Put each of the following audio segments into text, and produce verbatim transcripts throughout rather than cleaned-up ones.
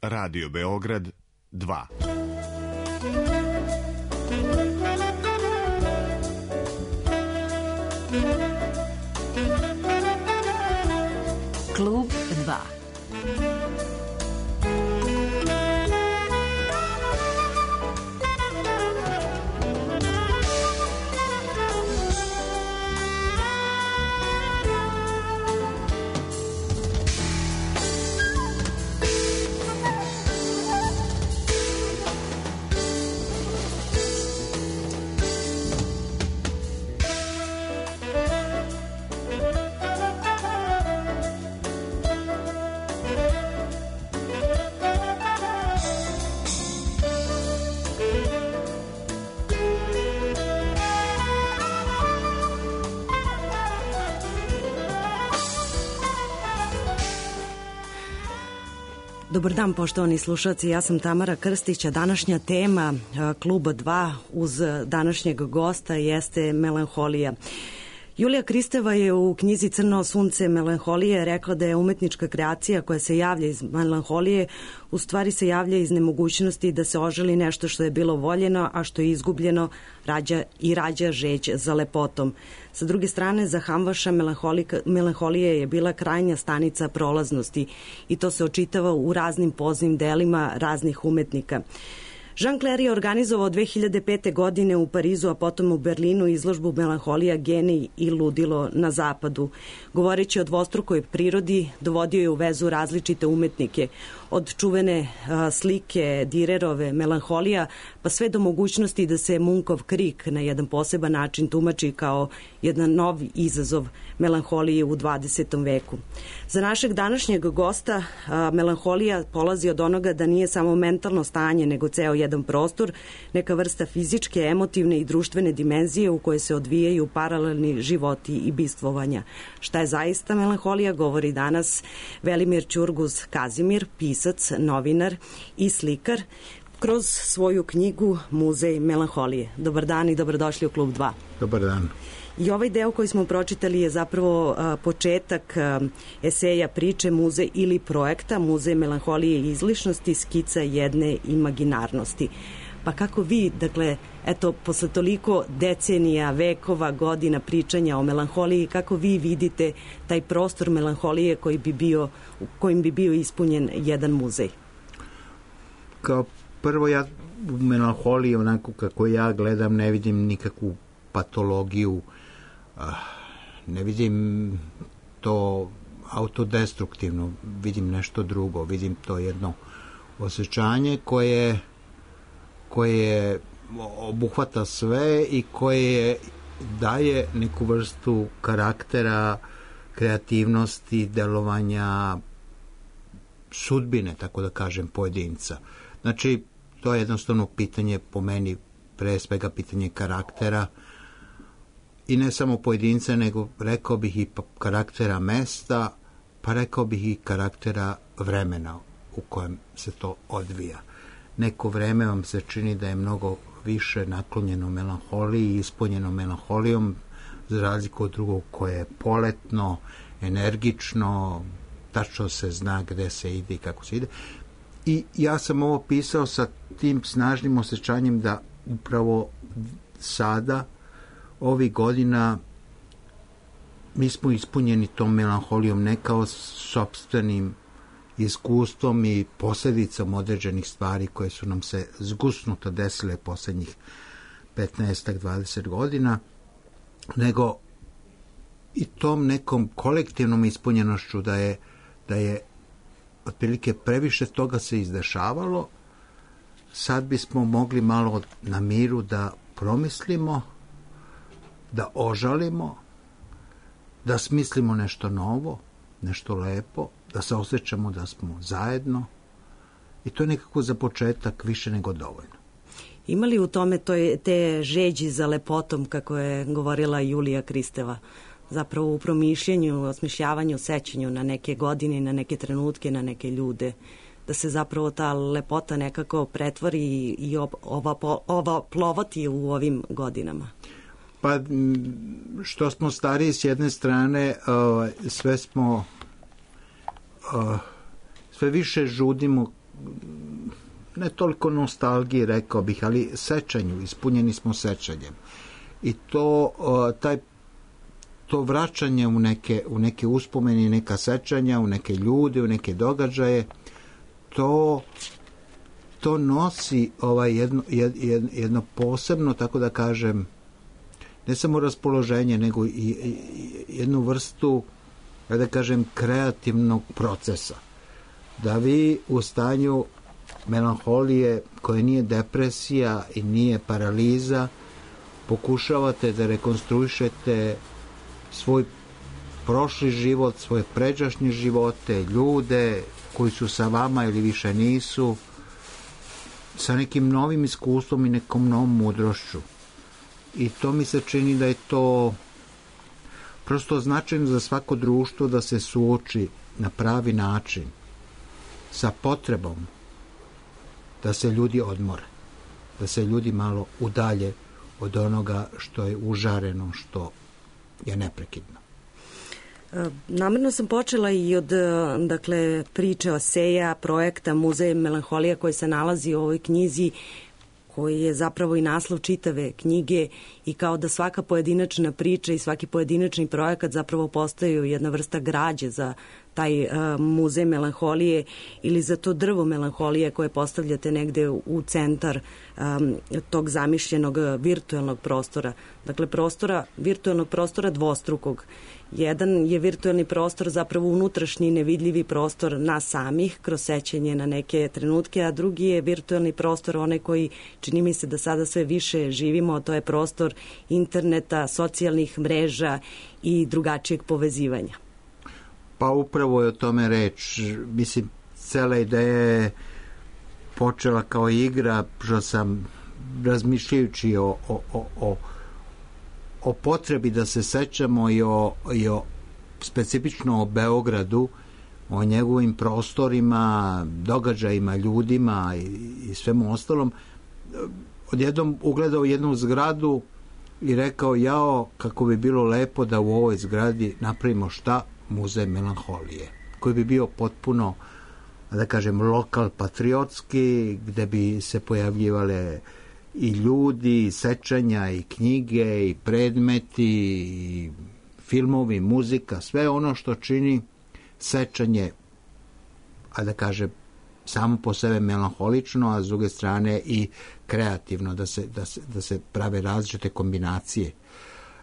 Radio Beograd dva. Klub dva. Dobar dan, poštovani slušalci, ja sam Tamara Krstić, a današnja tema Kluba dva uz današnjeg gosta jeste melanholija. Julija Kristeva je u knjizi Crno sunce melanholije rekla da je umetnička kreacija koja se javlja iz melanholije u stvari se javlja iz nemogućnosti da se oželi nešto što je bilo voljeno, a što je izgubljeno rađa i rađa žeđ za lepotom. Sa druge strane, za Hamvaša melanholija je bila krajnja stanica prolaznosti i to se očitava u raznim poznim delima raznih umetnika. Jean Clair je organizovao dve hiljade pete. godine u Parizu, a potom u Berlinu izložbu Melanholija, genij i ludilo na zapadu. Govoreći o dvostrukoj prirodi, dovodio je u vezu različite umetnike, od čuvene a, slike Direrove Melanholija, pa sve do mogućnosti da se Munkov krik na jedan poseban način tumači kao jedan novi izazov melanholije u dvadesetom veku. Za našeg današnjeg gosta a, melanholija polazi od onoga da nije samo mentalno stanje, nego ceo jedan prostor, neka vrsta fizičke, emotivne i društvene dimenzije u koje se odvijaju paralelni životi i bistvovanja. Šta je zaista melanholija, govori danas Velimir Ćurguz Kazimir, pisac, novinar i slikar, kroz svoju knjigu Muzej melanholije. Dobar dan i dobrodošli u Klub dva. Dobar dan. I ovaj deo koji smo pročitali je zapravo a, početak a, eseja priče Muzej ili projekta Muzej melanholije i izlišnosti, skica jedne imaginarnosti. Pa kako vi, dakle, eto, posle toliko decenija, vekova, godina pričanja o melanholiji, kako vi vidite taj prostor melanholije koji bi bio, kojim bi bio ispunjen jedan muzej? Kao prvo, ja u melanholiji, onako kako ja gledam, ne vidim nikakvu patologiju, ne vidim to autodestruktivno, vidim nešto drugo, vidim to jedno osjećanje koje koje obuhvata sve i koje daje neku vrstu karaktera, kreativnosti, delovanja, sudbine, tako da kažem, pojedinca. Znači, to je jednostavno pitanje, po meni, pre svega pitanje karaktera, i ne samo pojedinca, nego rekao bih i karaktera mesta, pa rekao bih i karaktera vremena u kojem se to odvija. Neko vreme vam se čini da je mnogo više naklonjeno melanholiji, ispunjeno melanholijom, za razliku od drugog koje je poletno, energično, tačno se zna gde se ide i kako se ide. I ja sam ovo pisao sa tim snažnim osjećanjem da upravo sada, ovih godina, mi smo ispunjeni tom melanholijom, ne kao sopstvenim iskustvom i posljedicom određenih stvari koje su nam se zgusnuto desile posljednjih petnaest do dvadeset godina, nego i tom nekom kolektivnom ispunjenošću da je, da je otprilike previše toga se izdešavalo. Sad bismo mogli malo na miru da promislimo, da ožalimo, da smislimo nešto novo, nešto lepo, da se osjećamo da smo zajedno, i to je nekako za početak više nego dovoljno. Ima li u tome to je, te žeđi za lepotom, kako je govorila Julija Kristeva, zapravo u promišljenju, osmišljavanju, sećanju na neke godine, na neke trenutke, na neke ljude, da se zapravo ta lepota nekako pretvori i ova, ova plovati u ovim godinama? Pa, što smo stariji s jedne strane, sve smo, sve više žudimo ne toliko nostalgiji, rekao bih, ali sećanju, ispunjeni smo sećanjem. I to, taj, to vraćanje u neke, u neke uspomene, neka sećanja, u neke ljude, u neke događaje, to, to nosi ovaj jedno, jed, jedno posebno, tako da kažem, ne samo raspoloženje, nego i, i jednu vrstu, da kažem, kreativnog procesa. Da vi u stanju melanholije, koja nije depresija i nije paraliza, pokušavate da rekonstruišete svoj prošli život, svoje pređašnje živote, ljude koji su sa vama ili više nisu, sa nekim novim iskustvom i nekom novom mudrošću. I to mi se čini da je to prosto značajno za svako društvo da se suoči na pravi način sa potrebom da se ljudi odmore, da se ljudi malo udalje od onoga što je užareno, što je neprekidno. Namerno sam počela i od dakle, priče o Seja, projekta Muzej melanholija koji se nalazi u ovoj knjizi, koji je zapravo i naslov čitave knjige i kao da svaka pojedinačna priča i svaki pojedinačni projekat zapravo postaju jedna vrsta građe za taj uh, muzej melanholije ili za to drvo melanholije koje postavljate negde u, u centar um, tog zamišljenog virtuelnog prostora. Dakle, prostora, virtuelnog prostora dvostrukog. Jedan je virtuelni prostor, zapravo unutrašnji nevidljivi prostor nas samih, kroz sećanje na neke trenutke, a drugi je virtuelni prostor, onaj koji čini mi se da sada sve više živimo, to je prostor interneta, socijalnih mreža i drugačijeg povezivanja. Pa upravo je o tome reč. Mislim, cela ideja je počela kao igra, što sam razmišljajući o, o, o, o o potrebi da se sećamo i o, i o specifično o Beogradu, o njegovim prostorima, događajima, ljudima i, i svemu ostalom, odjednom ugledao jednu zgradu i rekao, jao, kako bi bilo lepo da u ovoj zgradi napravimo šta? Muzej melanholije, koji bi bio potpuno, da kažem, lokal patriotski, gde bi se pojavljivale i ljudi, i sećanja, i knjige, i predmeti, i filmovi, muzika, sve ono što čini sećanje, a da kaže, samo po sebe melanholično, a s druge strane i kreativno, da se, da se, da se prave različite kombinacije.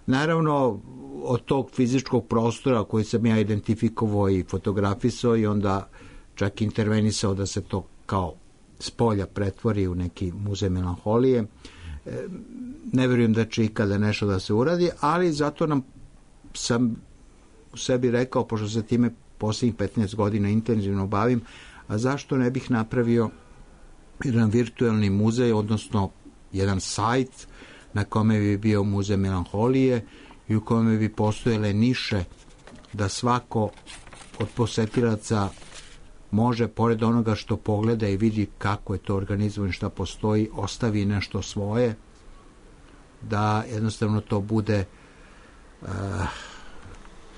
Naravno, od tog fizičkog prostora koji sam ja identifikovao i fotografisao i onda čak intervenisao da se to kao s polja pretvori u neki muzej melanholije. Ne vjerujem da će ikada nešto da se uradi, ali zato nam sam u sebi rekao, pošto se time posljednjih petnaest godina intenzivno bavim, a zašto ne bih napravio jedan virtuelni muzej, odnosno jedan sajt na kome bi bio muzej melanholije i u kome bi postojale niše da svako od posetilaca može, pored onoga što pogleda i vidi kako je to organizovano, šta postoji, ostavi nešto svoje, da jednostavno to bude uh,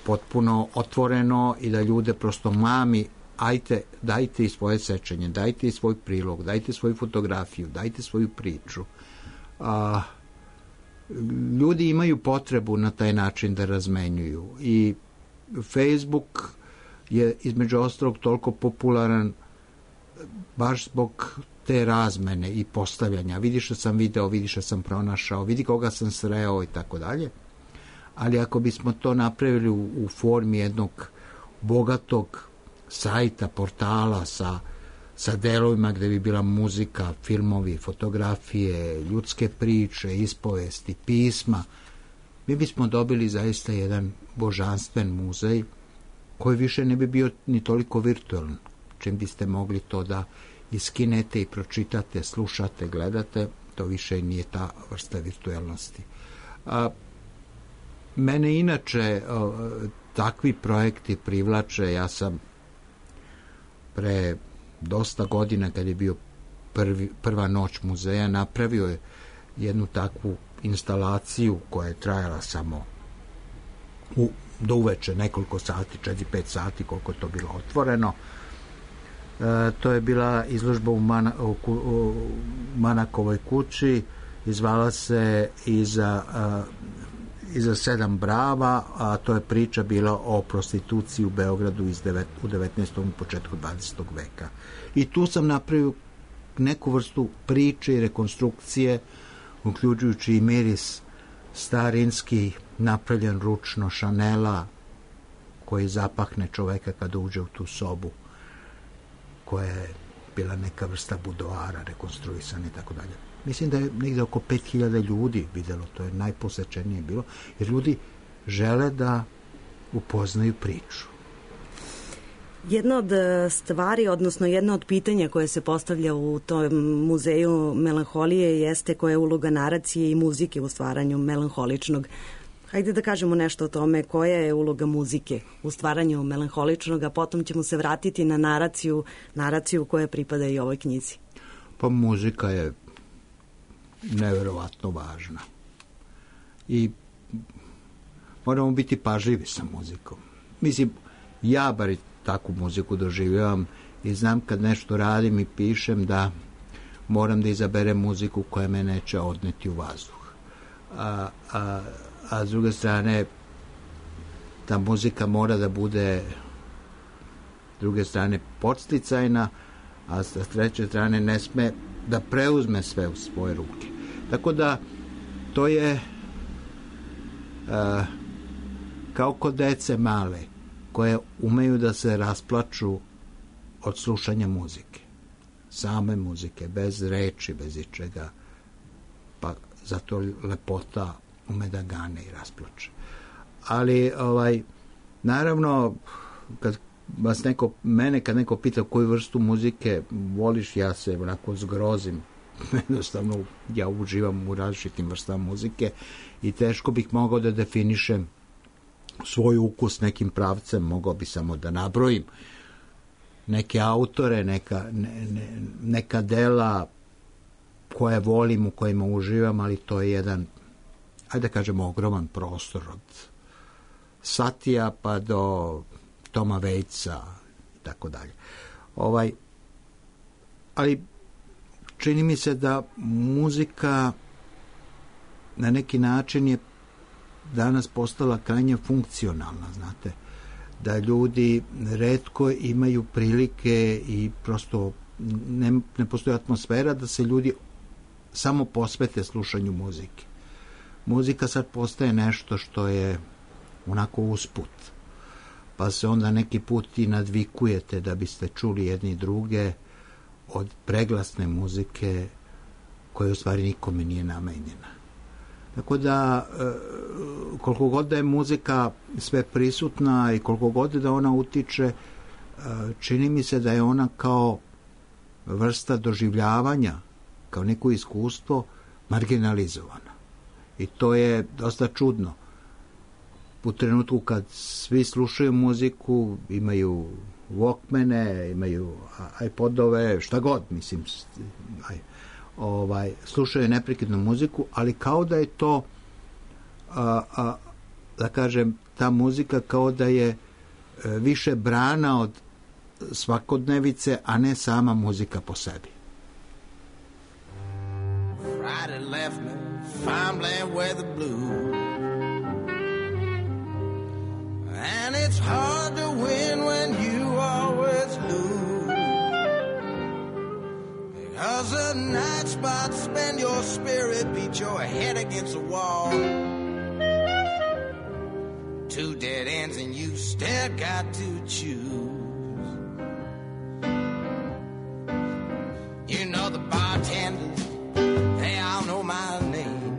potpuno otvoreno i da ljude prosto mami, ajte, dajte i svoje sećanje, dajte i svoj prilog, dajte svoju fotografiju, dajte svoju priču. Uh, ljudi imaju potrebu na taj način da razmenjuju i Facebook je između ostalog toliko popularan baš zbog te razmene i postavljanja. Vidi što sam video, vidi što sam pronašao, vidi koga sam sreo i tako dalje. Ali ako bismo to napravili u, u formi jednog bogatog sajta, portala sa, sa delovima gde bi bila muzika, filmovi, fotografije, ljudske priče, ispovesti, pisma, mi bismo dobili zaista jedan božanstven muzej koji više ne bi bio ni toliko virtualan, čim biste mogli to da iskinete i pročitate, slušate, gledate, to više nije ta vrsta virtualnosti. A, mene inače a, takvi projekti privlače. Ja sam pre dosta godina, kad je bio prvi, prva noć muzeja, napravio je jednu takvu instalaciju koja je trajala samo u do uveče, nekoliko sati, četiri pet sati, koliko je to bilo otvoreno. to je bila izložba u, Mana, u, u Manakovoj kući i zvala se Iza, Iza sedam brava, a to je priča bila o prostituciji u Beogradu iz devet, u devetnaestom i početku dvadesetog veka. I tu sam napravio neku vrstu priče i rekonstrukcije, uključujući i miris starinski, napravljen ručno Šanela, koji zapahne čoveka kada uđe u tu sobu, koja je bila neka vrsta budoara, rekonstruisana i tako dalje. Mislim da je negde oko pet hiljada ljudi videlo, to je najposečenije bilo, jer ljudi žele da upoznaju priču. Jedna od stvari, odnosno jedna od pitanja koje se postavlja u tom muzeju melanholije jeste koja je uloga naracije i muzike u stvaranju melanholičnog. Hajde da kažemo nešto o tome koja je uloga muzike u stvaranju melanholičnog, a potom ćemo se vratiti na naraciju, naraciju koja pripada i ovoj knjizi. Pa muzika je neverovatno važna. I moramo biti pažljivi sa muzikom. Mislim, ja bar takvu muziku doživljavam i znam kad nešto radim i pišem da moram da izaberem muziku koja me neće odneti u vazduh. A, a, a s druge strane ta muzika mora da bude s druge strane podsticajna, a s treće strane ne sme da preuzme sve u svoje ruke. Tako da to je a, kao kod dece male koje umeju da se rasplaču od slušanja muzike. Same muzike, bez reči, bez ičega. Pa zato lepota ume da gane i rasplače. Ali, ovaj, naravno, kad vas neko, mene kad neko pita koju vrstu muzike voliš, ja se onako zgrozim. Jednostavno, ja uživam u različitim vrstama muzike i teško bih mogao da definišem svoj ukus nekim pravcem, mogao bi samo da nabrojim neke autore, neka, ne, ne, neka dela koje volim, u kojima uživam, ali to je jedan, ajde da kažemo, ogroman prostor od Satija pa do Toma Waitsa i tako dalje. Ovaj, ali čini mi se da muzika na neki način je danas postala krajnje funkcionalna, znate, da ljudi retko imaju prilike i prosto ne, ne postoji atmosfera da se ljudi samo posvete slušanju muzike. Muzika sad postaje nešto što je onako usput, pa se onda neki put i nadvikujete da biste čuli jedni druge od preglasne muzike koja u stvari nikome nije namenjena. Tako da, koliko god da je muzika sve prisutna i koliko god da ona utiče, čini mi se da je ona kao vrsta doživljavanja, kao neko iskustvo, marginalizovana. I to je dosta čudno. U trenutku kad svi slušaju muziku, imaju Walkmane, imaju iPodove, šta god, mislim, aj, ovaj, slušaju neprekidnu muziku, ali kao da je to, a, a, da kažem, ta muzika kao da je e, više brana od svakodnevice, a ne sama muzika po sebi. Friday left me, farmland weather blue. And it's hard to win when you always lose. Because the night spots spend your spirit, beat your head against the wall. Two dead ends and you still got to choose. You know the bartenders, they all know my name.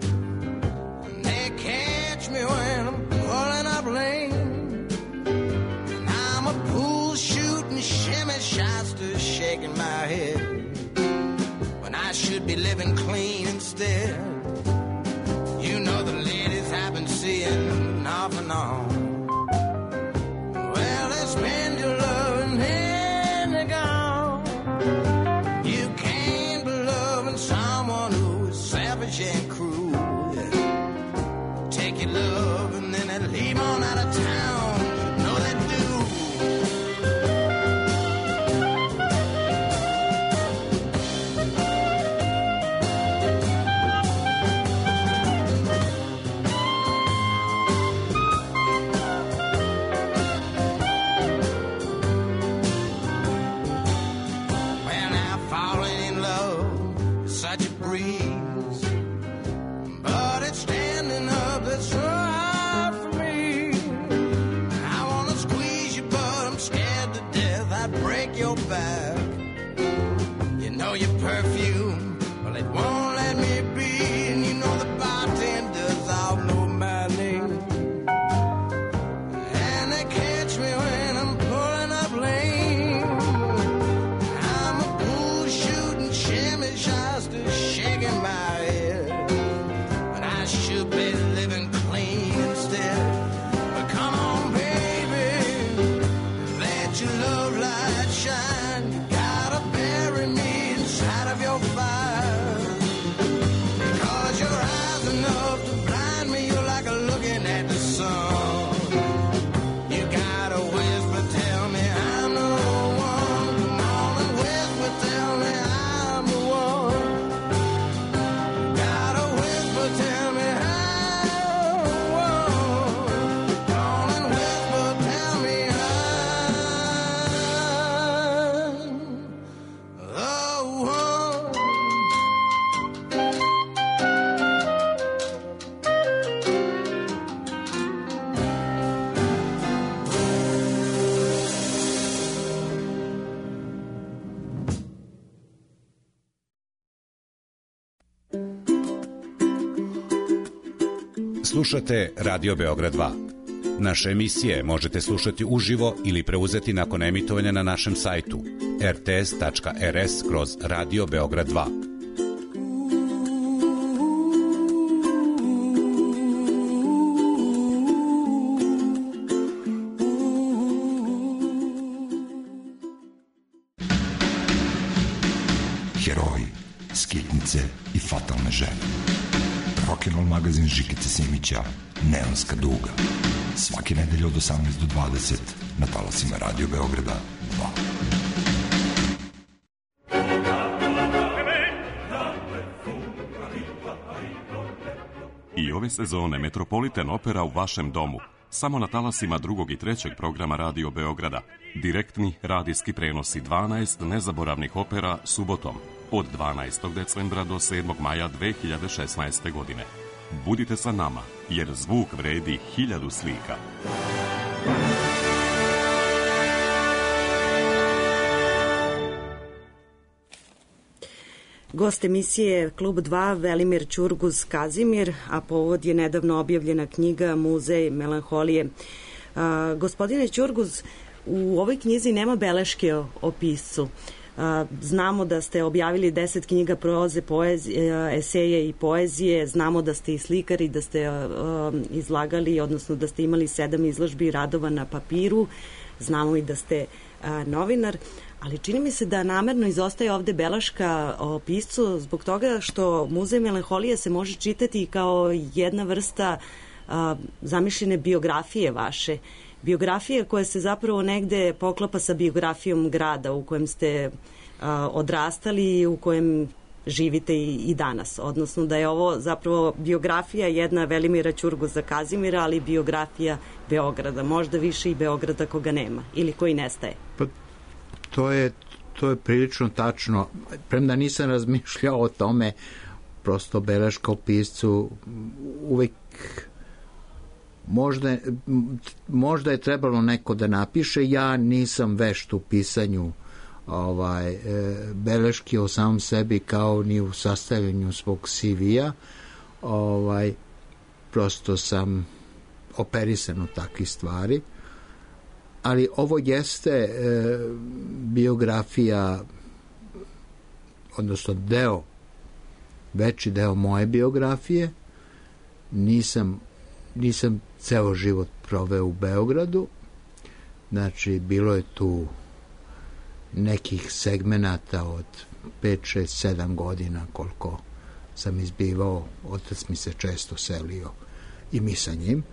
And they catch me when I'm pulling up lane. And I'm a pool shooting shimmy shots shaking my head when I should be living clean instead. You know the ladies I've been seeing off and on. Well, they spend your love and then they're gone. You can't be loving someone who is savage and cruel. Take your love and then they leave on out of town. You know they do. breeze, but it's standing up that's so hard for me. I wanna squeeze you, but I'm scared to death I'd break your back. You know your perfume, well it won't let me be, and you know the bartenders all know my name, and they catch me when I'm pulling up lane. I'm a pool shooting shimmy shasta shaking my head, but I should be living clean instead. But come on baby, let your love light shine. You gotta bury me inside of your fire, because your eyes enough to blind me. You're like a looking at the sun. You gotta whisper, tell me I'm the one. Come on and whisper, tell me I'm the one. Gotta whisper, tell me I'm the one. Come on and whisper, tell me I'm the one. Slušate Radio Beograd dva. Naše emisije možete slušati uživo ili preuzeti nakon emitovanja na našem sajtu r t s tačka r s kroz Radio Beograd dva. Heroji, skitnice i fatalne žene. Rock'n'roll magazin Žikice Simića, Neonska duga. Svake nedelje od osamnaest do dvadeset na talasima Radio Beograda dva. I ove sezone Metropolitan Opera u vašem domu. Samo na talasima drugog i trećeg programa Radio Beograda. Direktni radijski prenosi dvanaest nezaboravnih opera subotom od dvanaestog decembra do sedmog maja dve hiljade šesnaeste. godine. Budite sa nama, jer zvuk vredi hiljadu slika. Gost emisije Klub dva Velimir Ćurguz Kazimir, a povod je nedavno objavljena knjiga Muzej melanholije. A, gospodine Ćurguz, u ovoj knjizi nema beleške o, o piscu. A, znamo da ste objavili deset knjiga proze, poezije, eseje i poezije, znamo da ste i slikari, da ste a, a, izlagali, odnosno da ste imali sedam izložbi radova na papiru, znamo i da ste a, novinar, ali čini mi se da namerno izostaje ovde beleška o piscu zbog toga što Muzej melanholije se može čitati kao jedna vrsta a, zamišljene biografije vaše. Biografije koja se zapravo negde poklapa sa biografijom grada u kojem ste a, odrastali i u kojem živite i, i danas. Odnosno da je ovo zapravo biografija jedna Velimira Ćurguza Kazimira, ali biografija Beograda. Možda više i Beograda koga nema ili koji nestaje. Pa to je, to je prilično tačno. Premda nisam razmišljao o tome, prosto beleška o piscu uvek možda, možda je trebalo neko da napiše. Ja nisam vešt u pisanju ovaj, beleški o samom sebi kao ni u sastavljanju svog C V-a. Ovaj, prosto sam operisan u takvih stvari. Ali ovo jeste e, biografija, odnosno deo, veći deo moje biografije. Nisam, nisam ceo život proveo u Beogradu. Znači, bilo je tu nekih segmenata od pet, šest, sedam godina koliko sam izbivao. Otac mi se često selio i mi sa njim.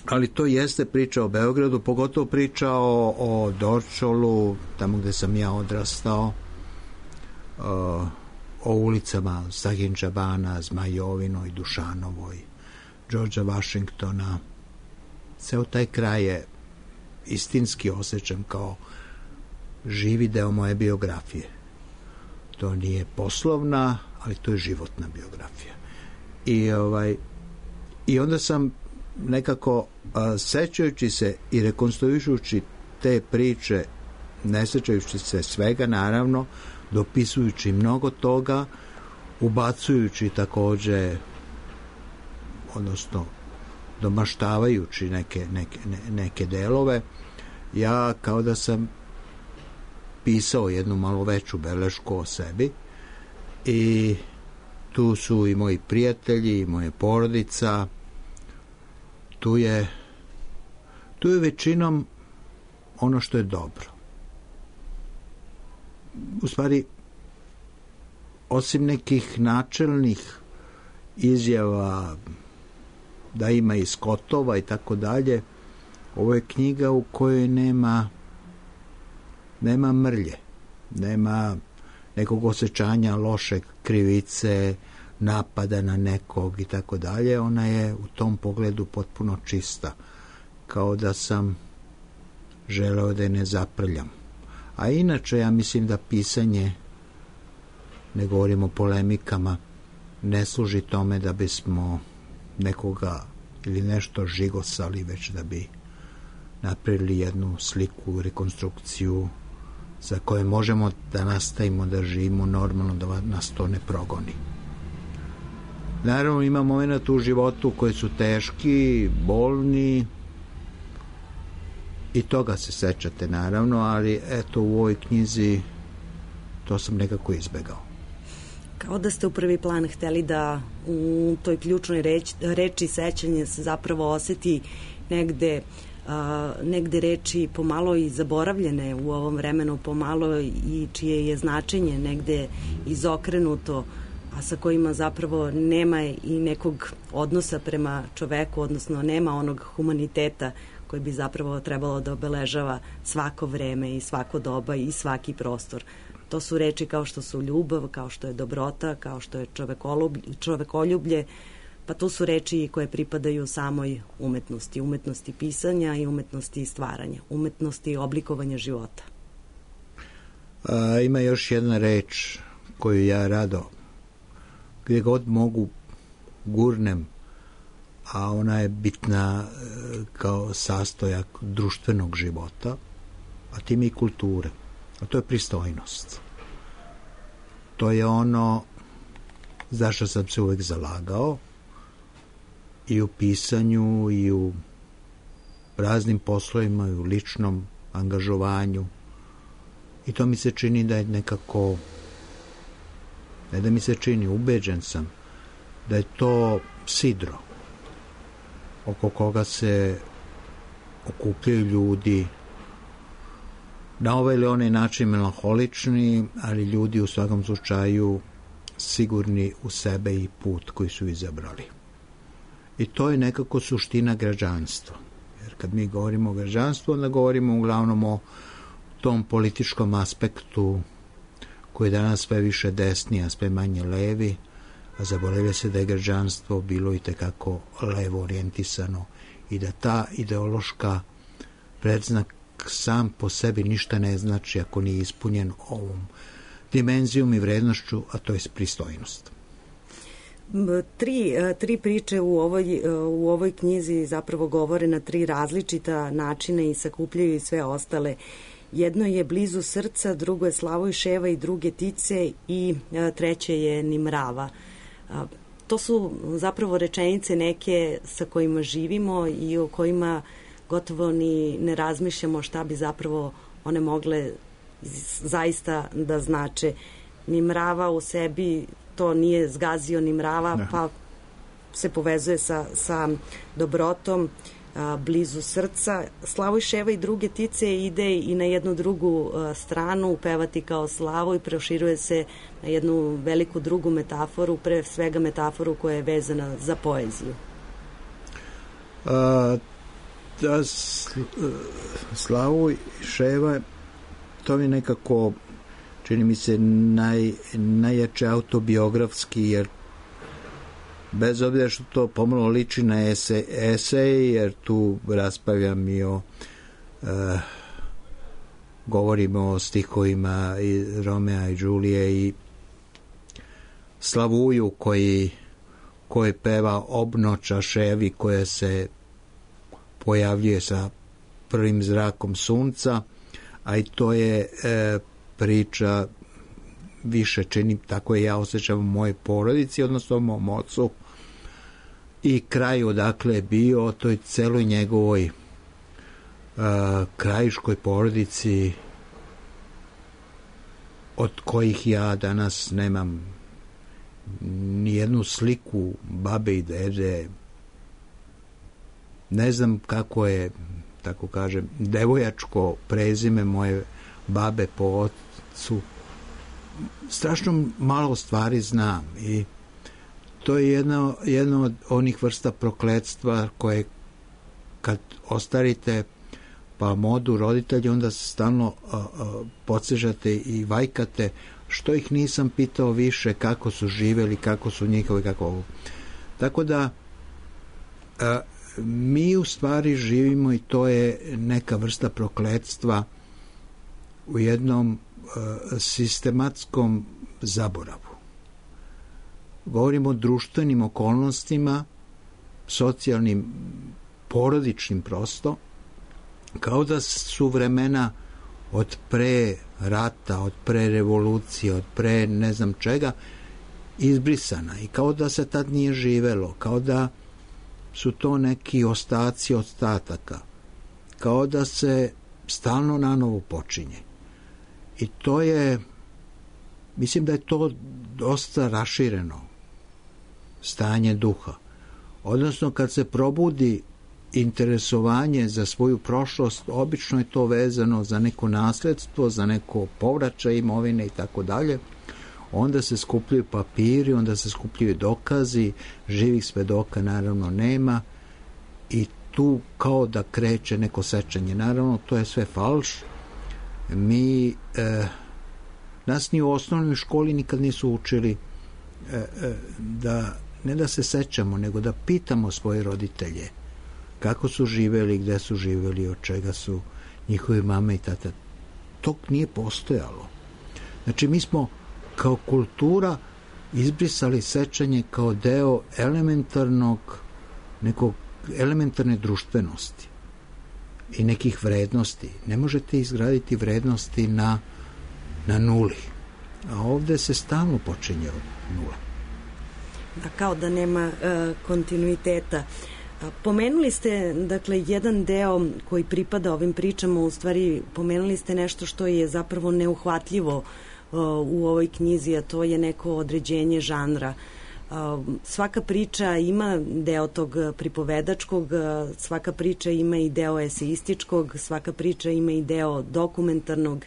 Ali to jeste priča o Beogradu, pogotovo priča o, o Dorčolu, tamo gde sam ja odrastao, o, o ulicama Stahinčabana, Zmajovinoj, Dušanovoj, Đorđa Vašingtona. Ceo taj kraj je istinski osjećam kao živi deo moje biografije. To nije poslovna, ali to je životna biografija. I, ovaj, i onda sam nekako a, sećajući se i rekonstruišući te priče, ne sećajući se svega naravno, dopisujući mnogo toga, ubacujući takođe, odnosno domaštavajući neke, neke, ne, neke delove, ja kao da sam pisao jednu malo veću belešku o sebi i tu su i moji prijatelji, i moja porodica, tu je tu je većinom ono što je dobro. U stvari, osim nekih načelnih izjava da ima i skotova i tako dalje, ovo je knjiga u kojoj nema nema mrlje, nema nekog osjećanja loše krivice, napada na nekog i tako dalje. Ona je u tom pogledu potpuno čista, kao da sam želeo da je ne zaprljam. A inače ja mislim da pisanje, ne govorimo o polemikama, ne služi tome da bismo nekoga ili nešto žigosali, već da bi napravili jednu sliku, rekonstrukciju za koje možemo da nastavimo da živimo normalno, da nas to ne progoni. Naravno, ima momenta u životu koji su teški, bolni, i toga se sećate naravno, ali eto u ovoj knjizi to sam nekako izbegao. Kao da ste u prvi plan hteli da u toj ključnoj reči, reči sećanje se zapravo oseti negde, a, negde reči pomalo i zaboravljene u ovom vremenu, pomalo i čije je značenje negde izokrenuto, a sa kojima zapravo nema i nekog odnosa prema čoveku, odnosno nema onog humaniteta koji bi zapravo trebalo da obeležava svako vreme i svako doba i svaki prostor. To su reči kao što su ljubav, kao što je dobrota, kao što je čovekoljublje, pa to su reči koje pripadaju samoj umetnosti, umetnosti pisanja i umetnosti stvaranja, umetnosti oblikovanja života. A, ima još jedna reč koju ja rado, gdje god mogu, gurnem, a ona je bitna kao sastojak društvenog života, a time i kulture. A to je pristojnost. To je ono zašto sam se uvek zalagao i u pisanju i u raznim poslovima i u ličnom angažovanju. I to mi se čini da je nekako, ne da mi se čini, ubeđen sam da je to sidro oko koga se okupljaju ljudi na ovaj ili onaj način melanholični, ali ljudi u svakom slučaju sigurni u sebe i put koji su izabrali. I to je nekako suština građanstva. Jer kad mi govorimo o građanstvu, onda govorimo uglavnom o tom političkom aspektu koji je danas sve više desni, a sve manje levi, a zaboravlja se da je građanstvo bilo i tekako levo orijentisano i da ta ideološka predznak sam po sebi ništa ne znači ako nije ispunjen ovom dimenzijom i vrednošću, a to je pristojnost. Tri, tri priče u ovoj, u ovoj knjizi zapravo govore na tri različita načina i sakupljaju i sve ostale. Jedno je Blizu srca, drugo je Slavoj Ševa i druge Tice i treće je Nimrava. To su zapravo rečenice neke sa kojima živimo i o kojima gotovo ni ne razmišljamo šta bi zapravo one mogle zaista da znače. Nimrava u sebi to nije zgazio Nimrava, ne. Pa se povezuje sa, sa dobrotom, a, Blizu srca. Slavoj Ševa i druge Tice ide i na jednu drugu a, stranu, pevati kao Slavo, i proširuje se na jednu veliku drugu metaforu, pre svega metaforu koja je vezana za poeziju. A, da, Slavoj Ševa, to mi nekako čini mi se naj, najjače autobiografski, jer bez obzira što to pomalo liči na esej, esej jer tu raspravljam i o e, govorimo o stihovima i Romea i Đulije i Slavuju koji, koji peva obnoća ševi koja se pojavljuje sa prvim zrakom sunca, a i to je e, priča više čini, tako je ja osjećam u mojoj porodici, odnosno u mom ocu, i kraj odakle je bio, o toj celoj njegovoj e, krajiškoj porodici, od kojih ja danas nemam ni jednu sliku babe i dede. Ne znam kako je, tako kažem, devojačko prezime moje babe po ocu. Strašno malo stvari znam i to je jedno, jedno od onih vrsta prokletstva koje kad ostarite pa modu roditelji, onda se stalno a, a, podsežate i vajkate što ih nisam pitao više, kako su živeli, kako su njihovi, kako ovo. Tako da a, mi u stvari živimo i to je neka vrsta prokletstva u jednom a, sistematskom zaboravu. Govorimo o društvenim okolnostima, socijalnim, porodičnim prosto, kao da su vremena od pre rata, od pre revolucije, od pre ne znam čega, izbrisana i kao da se tad nije živelo, kao da su to neki ostaci ostataka, kao da se stalno nanovo počinje. I to je, mislim da je to dosta rašireno stanje duha. Odnosno, kad se probudi interesovanje za svoju prošlost, obično je to vezano za neko nasledstvo, za neko povraćaj imovine i tako dalje. Onda se skupljaju papiri, onda se skupljaju dokazi, živih svedoka naravno nema i tu kao da kreće neko sečenje. Naravno, to je sve falš. Mi, eh, nas ni u osnovnoj školi nikad nisu učili eh, eh, da, ne da se sećamo, nego da pitamo svoje roditelje kako su živeli, gde su živeli, od čega su njihovi mame i tata. To nije postojalo. Znači, mi smo kao kultura izbrisali sećanje kao deo elementarnog, nekog elementarne društvenosti i nekih vrednosti. Ne možete izgraditi vrednosti na, na nuli. A ovde se stalno počinje od nula. Da, kao da nema uh, kontinuiteta. Pomenuli ste, dakle, jedan deo koji pripada ovim pričama, u stvari pomenuli ste nešto što je zapravo neuhvatljivo uh, u ovoj knjizi, a to je neko određenje žanra. Uh, svaka priča ima deo tog pripovedačkog, uh, svaka priča ima i deo eseističkog, svaka priča ima i deo dokumentarnog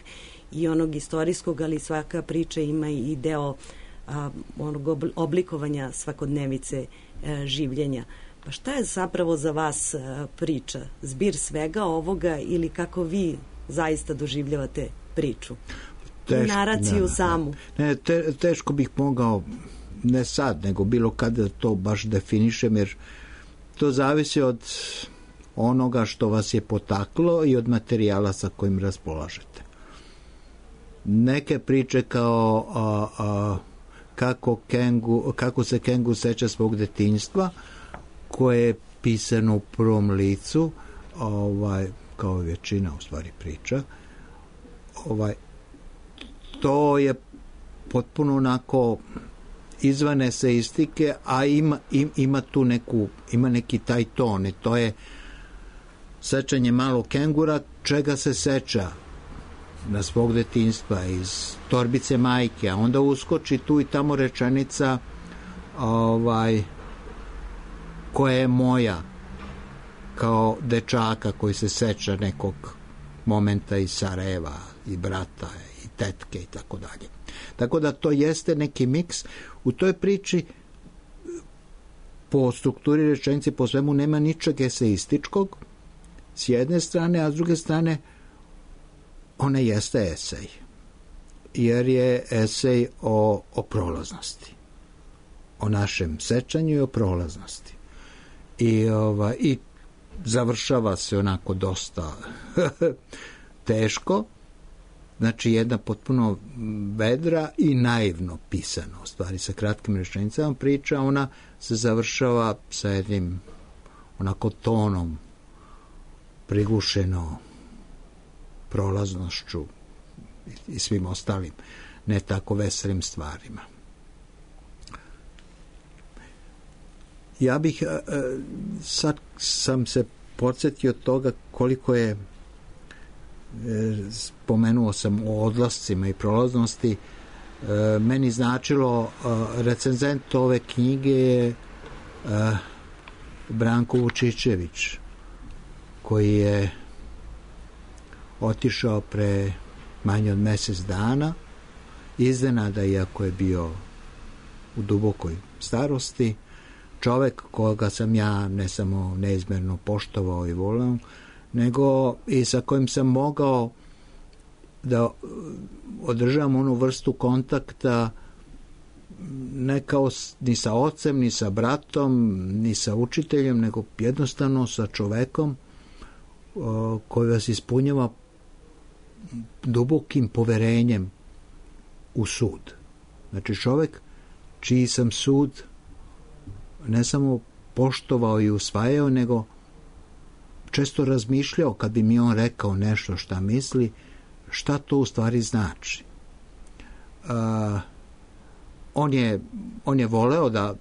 i onog istorijskog, ali svaka priča ima i deo uh, onog oblikovanja svakodnevice uh, življenja. Pa šta je zapravo za vas priča? Zbir svega ovoga ili kako vi zaista doživljavate priču? Teško, naraciju ne, samu? Ne, te, teško bih mogao, ne sad, nego bilo kada to baš definišem, jer to zavisi od onoga što vas je potaklo i od materijala sa kojim raspolažete. Neke priče kao a, a, kako, kengu, kako se kengu seća svog detinjstva, koje je pisano u prvom licu, ovaj, kao većina u stvari priča, ovaj, to je potpuno onako izvan eseistike, a ima, im, ima tu neku, ima neki taj ton i to je sećanje malog kengura, čega se seća na svog detinjstva iz torbice majke, a onda uskoči tu i tamo rečenica ovaj koja je moja kao dečaka koji se seća nekog momenta iz Sarajeva i brata i tetke i tako dalje. Tako da to jeste neki miks. U toj priči po strukturi rečenice, po svemu nema ničeg eseističkog s jedne strane, a s druge strane ona jeste esej. Jer je esej o, o prolaznosti. O našem sećanju i o prolaznosti. I, ova, i završava se onako dosta teško, Znači jedna potpuno vedra i naivno pisana, u stvari sa kratkim rečenicama priča, ona se završava sa jednim onako tonom, prigušeno prolaznošću i svim ostalim ne tako veselim stvarima. Ja bih sad sam se podsjetio toga koliko je, spomenuo sam o odlascima i prolaznosti, meni značilo, recenzent ove knjige je Branko Vučićević, koji je otišao pre manje od mjesec dana, iznenada, iako je bio u dubokoj starosti, čovek koga sam ja ne samo neizmjerno poštovao i voleo, nego i sa kojim sam mogao da održavam onu vrstu kontakta ne kao ni sa ocem, ni sa bratom, ni sa učiteljem, nego jednostavno sa čovekom koji vas ispunjava dubokim poverenjem u sud. Znači čovek čiji sam sud ne samo poštovao i usvajao, nego često razmišljao kad bi mi on rekao nešto šta misli, šta to u stvari znači. A, on je, on je voleo da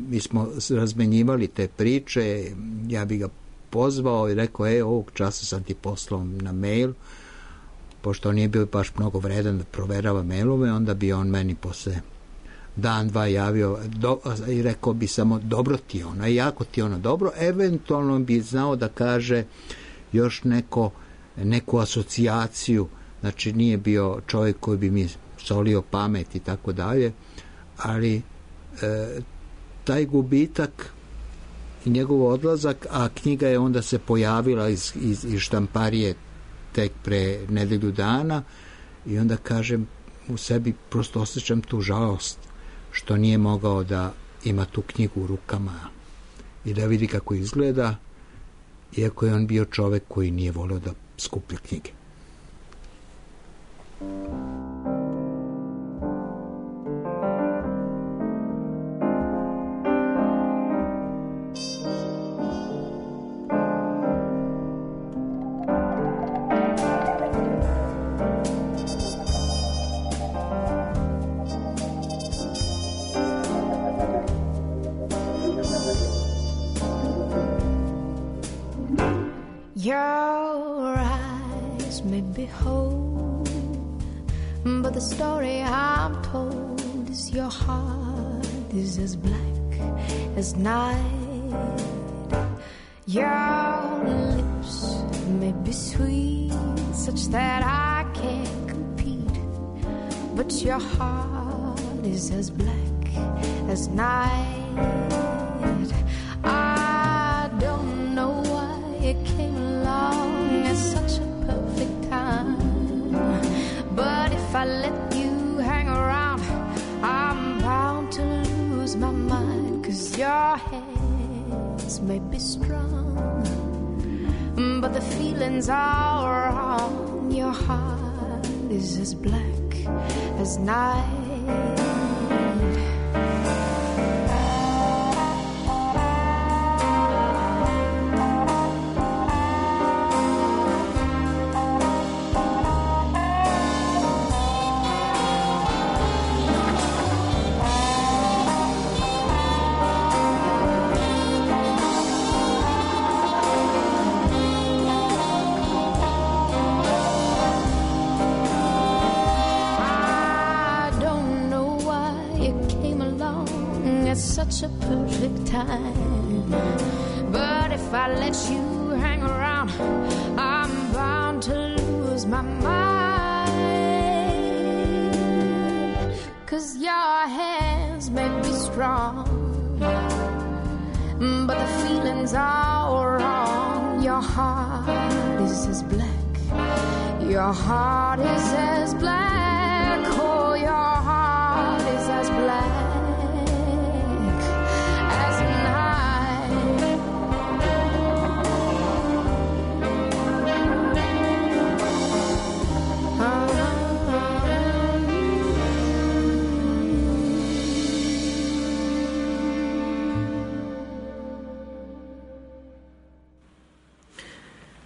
mi smo razmenjivali te priče, ja bi ga pozvao i rekao, e, ovog časa sam ti poslao na mail, pošto on nije bio baš mnogo vredan da proverava mailove, onda bi on meni posle dan, dva javio do, i rekao bi samo dobro ti ono, i jako ti ono dobro, eventualno bi znao da kaže još neko, neku asocijaciju, znači nije bio čovjek koji bi mi solio pamet i tako dalje, ali e, taj gubitak i njegov odlazak, a knjiga je onda se pojavila iz, iz, iz štamparije tek pre nedelju dana i onda kažem u sebi, prosto osjećam tu žalost što nije mogao da ima tu knjigu u rukama i da vidi kako izgleda, iako je on bio čovek koji nije voleo da skuplja knjige. Your eyes may be whole, but the story I'm told is your heart is as black as night. Your lips may be sweet, such that I can't compete, but your heart is as black as night. I don't know why it came along at such a perfect time, but if I let you hang around, I'm bound to lose my mind. 'Cause your hands may be strong, but the feelings are wrong. Your heart is as black as night. Such a perfect time, but if I let you hang around, I'm bound to lose my mind. 'Cause your hands may be strong, but the feelings are wrong. Your heart is as black, your heart is as black, oh, your heart is as black. Oh,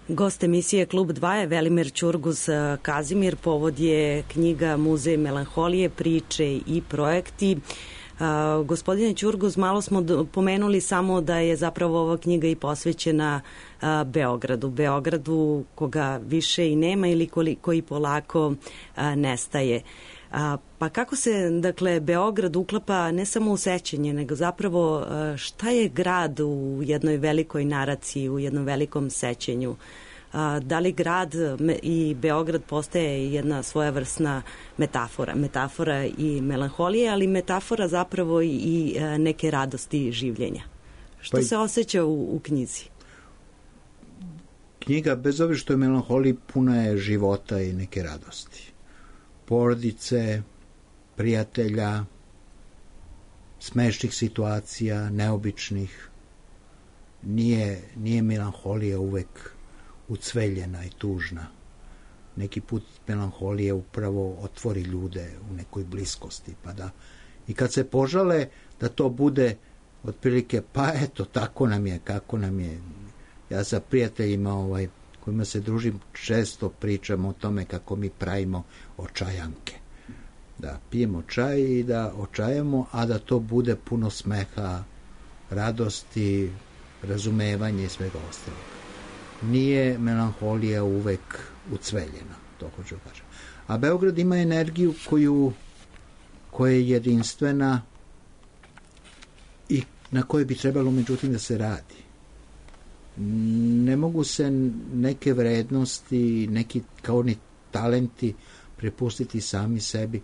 Gost emisije Klub dva je Velimir Ćurgus Kazimir. Povod je knjiga Muzej melanholije, priče i projekti. Uh, gospodine Ćurgus, malo smo do, pomenuli samo da je zapravo ova knjiga i posvećena uh, Beogradu. Beogradu koga više i nema ili koji, koji polako uh, nestaje. Uh, pa kako se, dakle, Beograd uklapa ne samo u sećanje, nego zapravo uh, šta je grad u jednoj velikoj naraciji, u jednom velikom sećenju? Da li grad i Beograd postaje jedna svojevrsna metafora, metafora i melanholije, ali metafora zapravo i neke radosti življenja. Što pa se osjeća u, u knjizi? Knjiga, bez obzira što je melanholija, puna je života i neke radosti. Porodice, prijatelja, smešnih situacija, neobičnih. Nije, nije melanholija uvek ucveljena i tužna. Neki put melanholije upravo otvori ljude u nekoj bliskosti, pa da i kad se požale da to bude otprilike, pa eto, tako nam je, kako nam je. Ja sa prijateljima ovaj, kojima se družim, često pričam o tome kako mi pravimo očajanke. Da pijemo čaj i da očajamo, a da to bude puno smeha, radosti, razumevanja i svega ostalog. Nije melanholija uvek ucveljena, to hoću kažem. A Beograd ima energiju koju, koja je jedinstvena i na kojoj bi trebalo međutim da se radi. Ne mogu se neke vrednosti, neki kao ni talenti prepustiti sami sebi.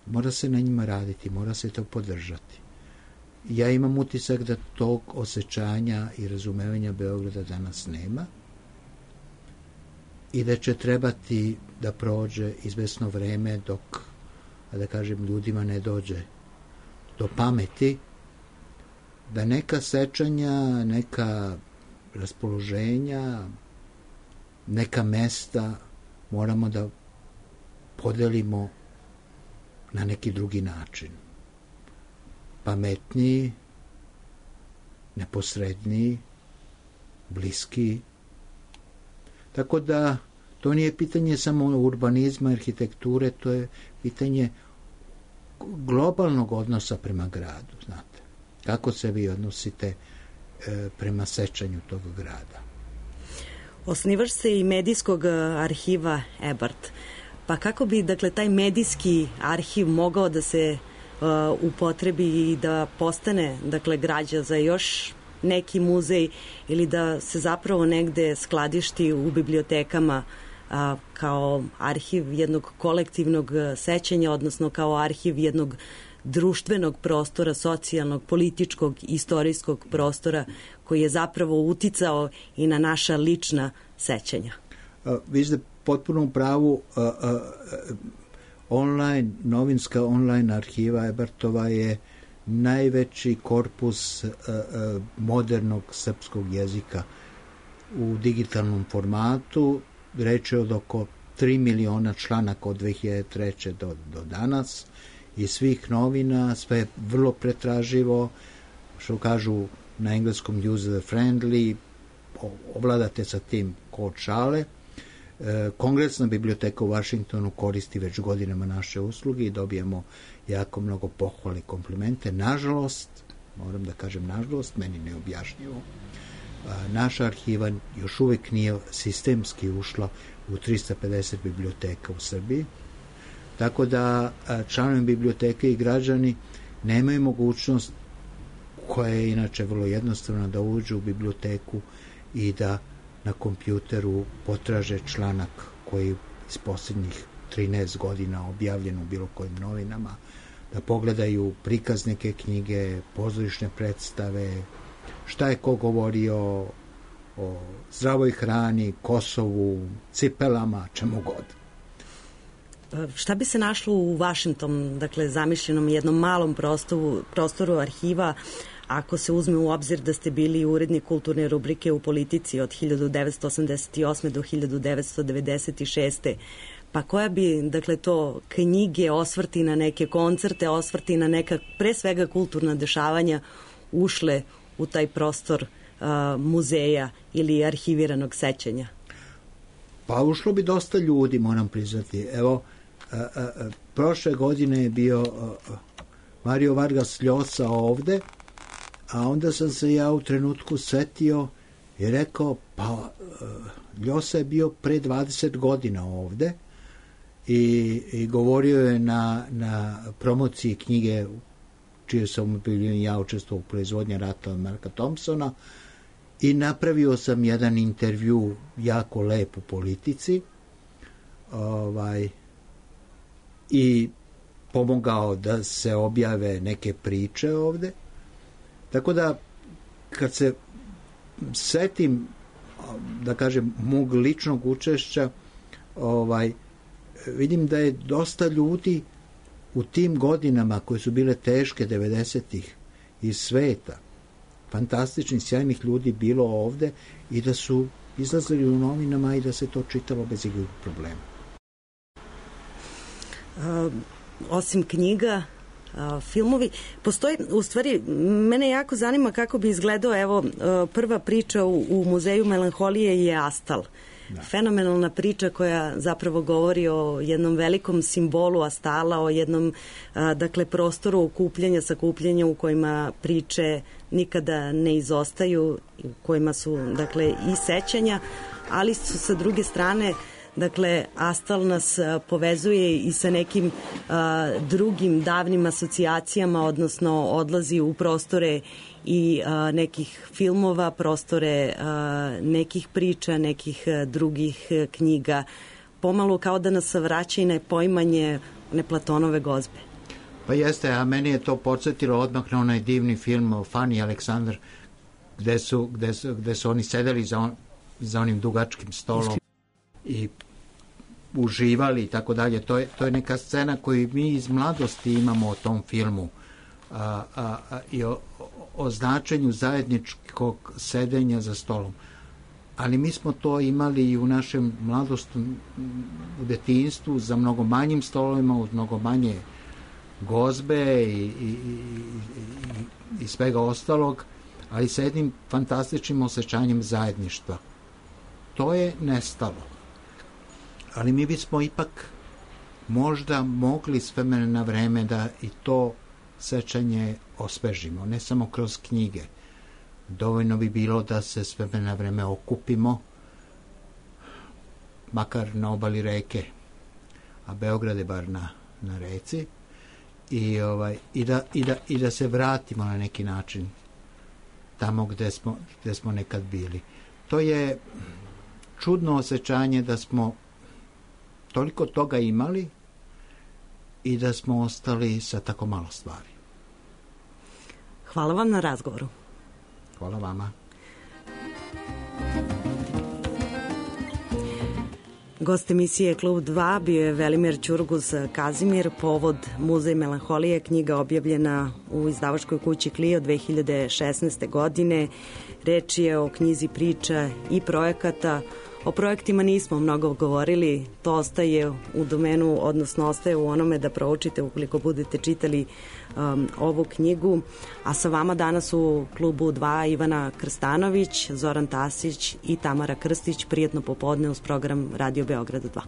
Mora se na njima raditi, mora se to podržati. Ja imam utisak da tog osjećanja i razumevanja Beograda danas nema i da će trebati da prođe izvesno vreme dok, da kažem, ljudima ne dođe do pameti da neka sećanja, neka raspoloženja, neka mesta moramo da podelimo na neki drugi način. Pametniji, neposredniji, bliski. Tako da to nije pitanje samo urbanizma, arhitekture, to je pitanje globalnog odnosa prema gradu, znate. Kako se vi odnosite e, prema sećanju tog grada? Osnivač se i medijskog arhiva Ebert. Pa kako bi, dakle, taj medijski arhiv mogao da se uh, upotrebi i da postane, dakle, građa za još neki muzej ili da se zapravo negde skladišti u bibliotekama uh, kao arhiv jednog kolektivnog sećanja, odnosno kao arhiv jednog društvenog prostora, socijalnog, političkog, istorijskog prostora koji je zapravo uticao i na naša lična sećanja. Uh, vi ste potpuno u pravu. Uh, uh, online, novinska online arhiva Ebertova je najveći korpus uh, uh, modernog srpskog jezika u digitalnom formatu. Reč je od oko tri miliona članaka od dve hiljade treće do, do danas i svih novina, sve je vrlo pretraživo, što kažu na engleskom user friendly, ovladate sa tim ko od šale. Kongresna biblioteka u Vašingtonu koristi već godinama naše usluge i dobijemo jako mnogo pohvale i komplimente. Nažalost, moram da kažem nažalost, meni neobjašnjivo, naša arhiva još uvek nije sistemski ušla u trista pedeset biblioteka u Srbiji, tako da članovi biblioteke i građani nemaju mogućnost, koja je inače vrlo jednostavna, da uđu u biblioteku i da na kompjuteru potraže članak koji iz posljednjih trinaest godina objavljen u bilo kojim novinama, da pogledaju prikaz neke knjige, pozorišne predstave, šta je ko govorio o zdravoj hrani, Kosovu, cipelama, čemu god. Šta bi se našlo u vašem tom, dakle, zamišljenom jednom malom prostoru, prostoru arhiva, ako se uzme u obzir da ste bili urednik kulturne rubrike u Politici od hiljadu devetsto osamdeset osme do hiljadu devetsto devedeset šeste. Pa koja bi, dakle, to knjige, osvrti na neke koncerte, osvrti na neka, pre svega, kulturna dešavanja ušle u taj prostor uh, muzeja ili arhiviranog sećanja? Pa ušlo bi dosta ljudi, moram priznati. Evo, a, a, a, prošle godine je bio a, a, Mario Vargas Llosa ovde, a onda sam se ja u trenutku setio i rekao, pa a, Llosa je bio pre dvadeset godina ovde i, i govorio je na, na promociji knjige čije sam ja učestvovao u proizvodnji rata od Marka Thompsona i napravio sam jedan intervju jako lep u Politici ovaj, i pomogao da se objave neke priče ovde. Tako da, kad se setim, da kažem, mog ličnog učešća, ovaj, vidim da je dosta ljudi u tim godinama koje su bile teške devedesetih iz sveta, fantastičnih, sjajnih ljudi bilo ovde i da su izlazili u novinama i da se to čitalo bez ikakvih problema. Uh, osim knjiga, uh, filmovi, postoji, u stvari, mene jako zanima kako bi izgledao, evo, uh, prva priča u, u Muzeju melanholije je Astal. Da. Fenomenalna priča koja zapravo govori o jednom velikom simbolu Astala, o jednom a, dakle prostoru okupljanja, sakupljanja u kojima priče nikada ne izostaju, u kojima su dakle i sećanja, ali su sa druge strane dakle Astal nas a, povezuje i sa nekim a, drugim davnim asocijacijama, odnosno odlazi u prostore i a, nekih filmova, prostore a, nekih priča, nekih a, drugih a, knjiga, pomalo kao da nas vraća i na poimanje one Platonove gozbe. Pa jeste, a meni je to podsjetilo odmah na onaj divni film Fanny Aleksandar, gde su, gde su, gde su oni sedeli za, on, za onim dugačkim stolom i uživali i tako dalje. To je, to je neka scena koju mi iz mladosti imamo o tom filmu a, a, a, i o, o značenju zajedničkog sedenja za stolom. Ali mi smo to imali i u našem mladostu, u detinjstvu, za mnogo manjim stolovima, uz mnogo manje gozbe i, i, i, i, i svega ostalog, ali sa jednim fantastičnim osjećanjem zajedništva. To je nestalo. Ali mi bismo ipak možda mogli s vremena na vreme da i to sećanje osvežimo, ne samo kroz knjige. Dovoljno bi bilo da se s vremena na vreme okupimo, makar na obali reke, a Beograd je bar na, na reci, i, ovaj, i, da, i, da, i da se vratimo na neki način tamo gde smo, gde smo nekad bili. To je čudno osjećanje da smo toliko toga imali i da smo ostali sa tako malo stvari. Hvala vam na razgovoru. Hvala vama. Gost emisije Klub dva bio je Velimir Ćurguz Kazimir, povod Muzej melanholije, knjiga objavljena u izdavačkoj kući Clio dve hiljade šesnaeste. godine. Reč je o knjizi priča i projekata. O projektima nismo mnogo govorili, to ostaje u domenu, odnosno ostaje u onome da proučite ukoliko budete čitali um, ovu knjigu. A sa vama danas u Klubu dva Ivana Krstanović, Zoran Tasić i Tamara Krstić. Prijetno popodne uz program Radio Beograd dva.